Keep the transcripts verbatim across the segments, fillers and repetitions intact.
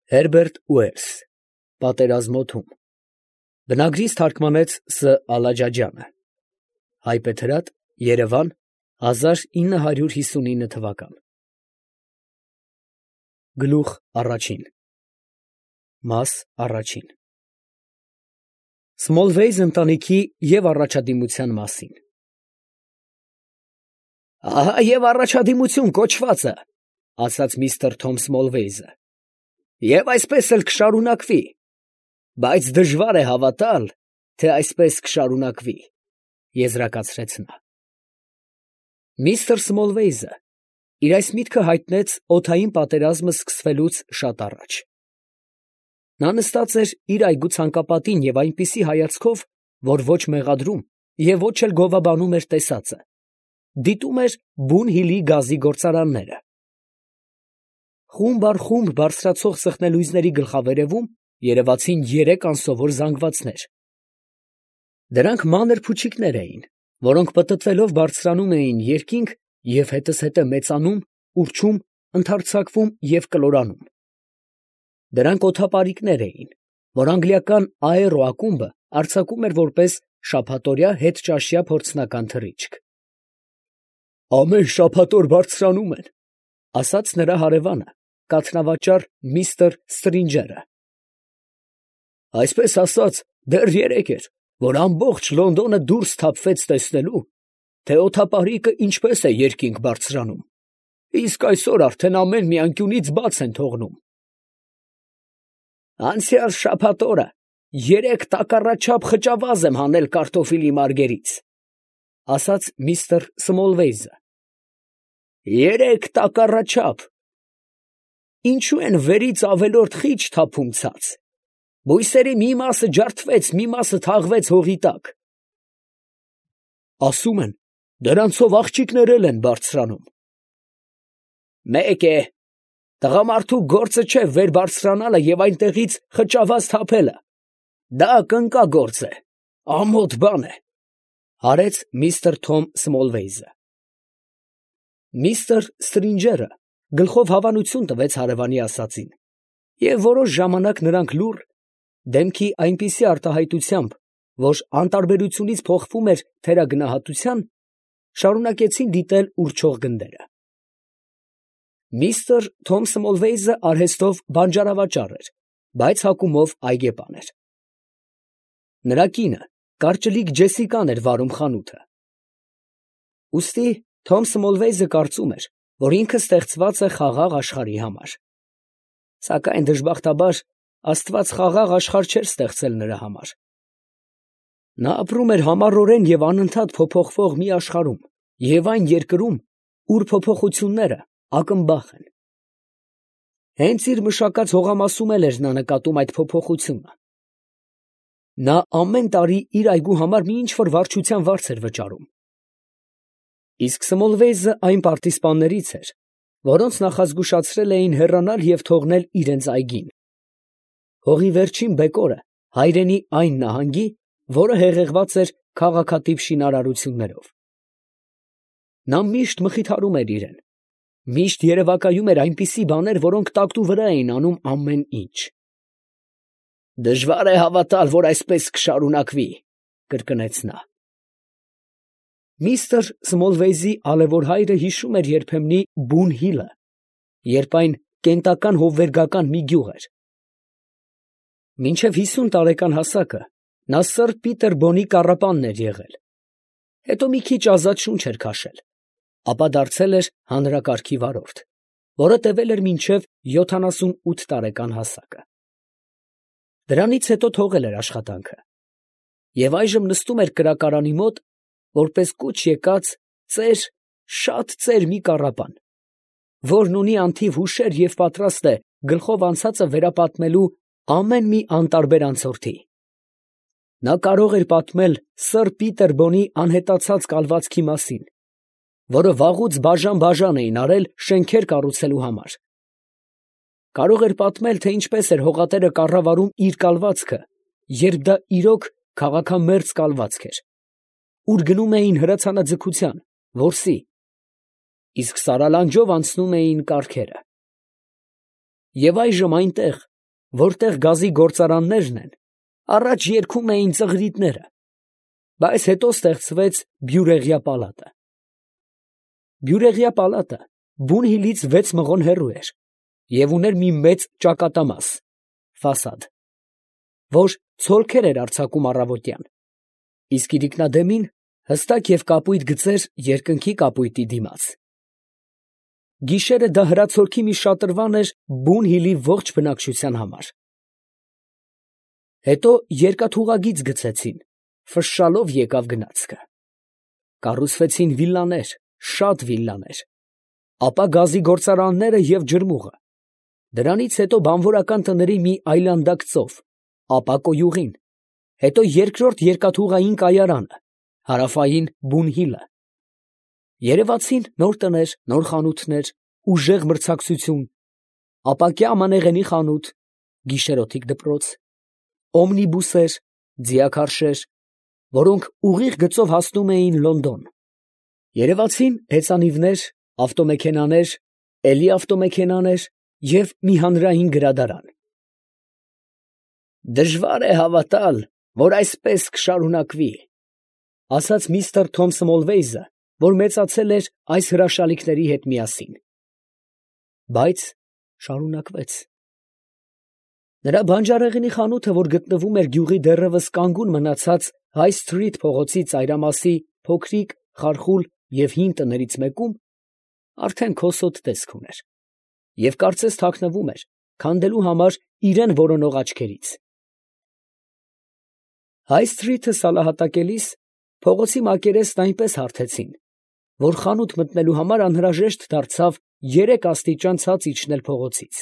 Հերբերտ Ուելս, Պատերազմոթում, բնագրից թարգմանեց Ս. Ալաջաջյանը, հայբեթրատ, Երևան, հազար ինը հարյուր հիսունինը թվական։ Գլուխ առաջին Մաս առաջին Սմոլվեյզ ընտանիքի և առաջադիմության մասին։ «Ահա և առաջադիմություն կոչվածը, ֊ ասաց միստր Թոմ Սմոլվեյզը, ֊ և այսպես էլ կշարունակվի, բայց դժվար է հավատալ, թե այսպես կշարունակվի, ֊ եզրակացրեց նա։ Միստր Սմոլվեյզը իր այս միտքը հայտնեց օդային պատերազմը սկսվելուց շատ առաջ։ Նա նստած էր իր այգու ցանկապատին և այնպիսի հայացքով, որ ոչ մեղադրում և ոչ էլ գովաբանում էր տեսածը, դիտում էր Բուն Հիլի գազի գործարանները։ Խումբ առ խումբ բարձրացող սխնելույզների գլխավերևում երևացին երեք անսովոր զանգվածներ. դրանք մանր փուչիկներ էին, որոնք պտտվելով բարձրանում էին երկինք և հետզհետե մեծանում, ուռչում, ընդարձակվում և կլորանում։ Դրանք օդապարիկներ էին, որ անգլիական Աերո ակումբը արձակում էր որպես շաբաթօրյա հետճաշյա փորձնական թռիչք։ «Ամեն շաբաթ օր բարձրանում են, ֊ ասաց նրա հարևանը, կաթնավաճառ միստր Ստրինջերը։ ֊ Այսպես ասած, դեռ երեկ էր, որ ամբողջ Լոնդոնը դուրս թափվեց տեսնելու, թե օդապարիկը ինչպես է երկինք բարձրանում, իսկ այսօր արդեն ամեն մի անկյունից բաց են թողնում։ Անցյալ շաբաթ օրը երեք տակառաչափ խճավազ եմ հանել կարտոֆիլի մարգերից, ֊ ասաց միստր Սմոլվեյզը։ Երեք տակառաչափ. ինչու են վերից ավելորդ խիճ թափում ցած, բույսերի մի մասը ջարդվեց, մի մասը թաղվեց հողի տակ։ Ասում են, դրանցով աղջիկներ էլ են բարձրանում։ Մեկ է, տղամարդու գործը չէ վեր բարձրանալը և այնտեղից խճավազ թափելը, դա կնկագործ է, ամոթ բան է, ֊ հարեց միստր Թոմ Սմոլվեյզը։ Միստր Ստրինջերը գլխով հավանություն տվեց հարևանի ասածին, և որոշ ժամանակ նրանք լուռ, դեմքի այնպիսի արտահայտությամբ, որ անտարբերությունից փոխվում էր թերագնահատության, շարունակեցին դիտել ուռչող գնդերը։ Միստր Թոմ Սմոլվեյզը արհեստով բանջարավաճառ էր, բայց հակումով այգեպան էր։ Նրա կինը կարճլիկ Ջեսիկան էր վարում խանութը։ Ուստի Թոմ Սմոլվեյզը կարծում էր, որ ինքը ստեղծված է խաղաղ աշխարհի համար։ Սակայն դժբախտաբար Աստված խաղաղ աշխարհ չէր ստեղծել նրա համար։ Նա ապրում էր համառորեն և անընդհատ փոփոխվող մի աշխարհում և այն երկրում, ուր փոփոխությունները ակնբախ են։ Հենց իր մշակած հողամասում էլ էր նա նկատում այդ փոփոխությունը։ Նա ամեն տարի իր այգու համար մի ինչ֊որ վարչության վարձ էր վճարում։ Իսկ Սմոլվեյզը այն պարտիզպաններից էր, որոնց նախազգուշացրել էին հեռանալ և թողնել իրանց այգին։ Հողի վերջին բեկորը հայրենի այն նահանգի, որը հեղեղված էր քաղաքատիպ շինարարություններով։ Նա միշտ մխիթարում էր իրեն, միշտ երևակայում էր այնպիսի բաներ, որոնք տակտուվրա էին անում ամեն ինչ։ Դժվար է հավատալ, որ այսպես կշարունակվի, ֊ կրկնեց նա։ Միստր Սմոլվեյզի ալևոր հայրը հիշում էր երբեմնի Բուն Հիլը, երբ այն կենտական հովվերգական մի գյուղ էր։ Մինչև հիսուն տարեկան հասակը նա սըր Պիտերբոնի կառապանն էր եղել, հետո մի քիչ ազատ շունչ էր քաշել, ապա դարձել էր հանրակարգի վարորդ, որը տևել էր մինչև յոթանասունութ տարեկան հասակը։ Դրանից հետո թողել էր աշխատանքը և այժմ նստում էր կրակարանի մոտ, որպես կուչ եկած ծեր, շատ ծեր մի կառապան, որն ունի անթիվ հուշեր և պատրաստ է գլխով անցածը վերապատմելու ամեն մի անտարբեր անցորդի։ Նա կարող էր պատմել սըր Պիտերբոնի անհետացած կալվածքի մասին, որը վաղուց բաժան֊բաժան էին արել շենքեր կառուցելու համար։ Կարող էր պատմել, թե ինչպես էր հողատերը կառավարում իր կալվածքը, երբ դա իրոք քաղաքամերձ կալվածք էր, ուր գնում էին հրացանաձգության, որսի, իսկ սարալանջով անցնում էին կառքերը։ Եվ այժմ այնտեղ, որտեղ գազի գործարաններն են, առաջ երգում էին ծղրիդները, բայց հետո ստեղծվեց Բյուրեղյա պալատը։ Բյուրեղյա պալատը Բունհիլից վեց մղոն հեռու էր և ուներ մի մեծ ճակատամաս (ֆասադ), որ ցոլքեր էր արձակում առավոտյան, իսկ իրիկնադեմին հստակ և կապույտ գծեր երկնքի կապույտի դիմաց։ Գիշերը դա հրացորքի մի շատրվան էր Բունհիլի ողջ բնակչության համար։ Հետո երկաթուղագիծ գցեցին, ֆշշալով եկավ գնացքը։ Կառուցվեցին վիլլաներ, շատ վիլլաներ, ապա գազի գործարանները և ջրմուղը, դրանից հետո բանվորական տների մի այլանդակ ծով, ապա կոյուղին, հետո երկրորդ երկաթուղային կայարանը, հարավային Բունհիլը։ Երևացին նոր տներ, նոր խանութներ, ուժեղ մրցակցություն, ապակյա ամանեղենի խանութ, գիշերօթիկ դպրոց, օմնիբուսեր, ձիաքարշեր, որոնք ուղիղ գծով հասնում էին Լոնդոն։ Երևացին հեծանիվներ, ավտոմեքենաներ, էլի ավտոմեքենաներ և մի հանրային գրադարան։ «Դժվար է հավատալ, որ այսպես կշարունակվի», ֊ ասաց միստր Թոմ Սմոլվեյզը, որ մեծացել էր այս հրաշալիքների հետ միասին։ Բայց շարունակվեց։ Նրա բանջարեղենի խանութը, որ գտնվում էր գյուղի դեռևս կանգուն մնացած Հայ Սթրիթ փողոցի ծայրամասի փոքրիկ, խարխուլ և հին տներից մեկում, արդեն քոսոտ տեսք ուներ, և կարծես թաքնվում էր, քանդելու համար իրան որոնող աչքերից։ Հայ Սթրիթը սալահատակելիս փողոցի մակերեսն այնպես հարթեցին, որ խանութ մտնելու համար անհրաժեշտ դարձավ երեք աստիճան ցած իջնել փողոցից։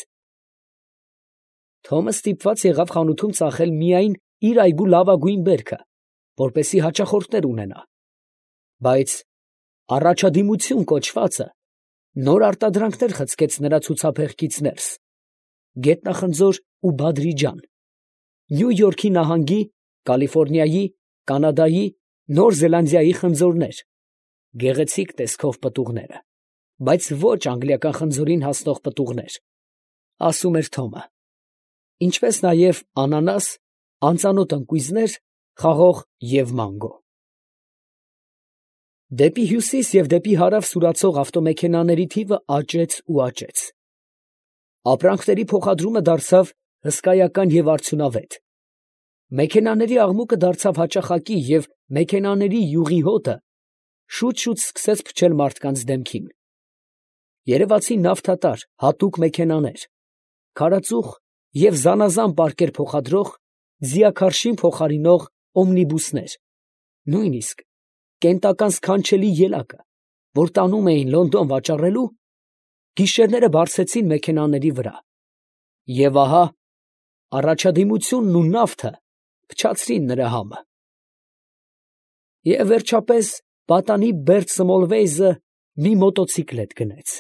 Թոմը ստիպված եղավ խանութում ծախել միայն իր այգու լավագույն բերքը, որպեսզի հաճախորդներ ունենա, բայց «Առաջադիմություն» կոչվածը նոր արտադրանքներ խցկեց նրա ցուցափեղկից ներս, գետնախնձոր ու բադրիջան, Նյու Յորքի նահանգի, Կալիֆոռնիայի, Կանադայի, Նոր Զելանդիայի խնձորներ, գեղեցիկ տեսքով պտուղները, բայց ոչ անգլիական խնձորին հասնող պտուղներ, ասում էր Թոմը, ինչպես նաև անանաս, անծանոթ ընկույզներ, խաղող և մանգո։ Դեպի հյուսիս և դեպի հարավ սուրացող ավտոմեքենաների թիվը աճեց ու աճեց։ Ապրանքների փոխադրումը դարձավ հսկայական և արդյունավետ։ Մեքենաների աղմուկը դարձավ հաճախակի և մեքենաների յուղի հոտը շուտ֊շուտ սկսեց փչել մարդկանց դեմքին։ Երևացին նավթատար հատուկ մեքենաներ, քարածուխ և զանազան պարկեր փոխադրող, ձիաքարշին փոխարինող օմնիբուսներ, նույնիսկ կենտական սքանչելի ելակը, որ տանում էին Լոնդոն վաճառելու, գիշերները բարձեցին մեքենաների վրա, և ահա առաջադիմությունն ու նավթը փչացրին նրա համը։ Եվ վերջապես պատանի Բերտ Սմոլվեյզը մի մոտոցիկլետ գնեց։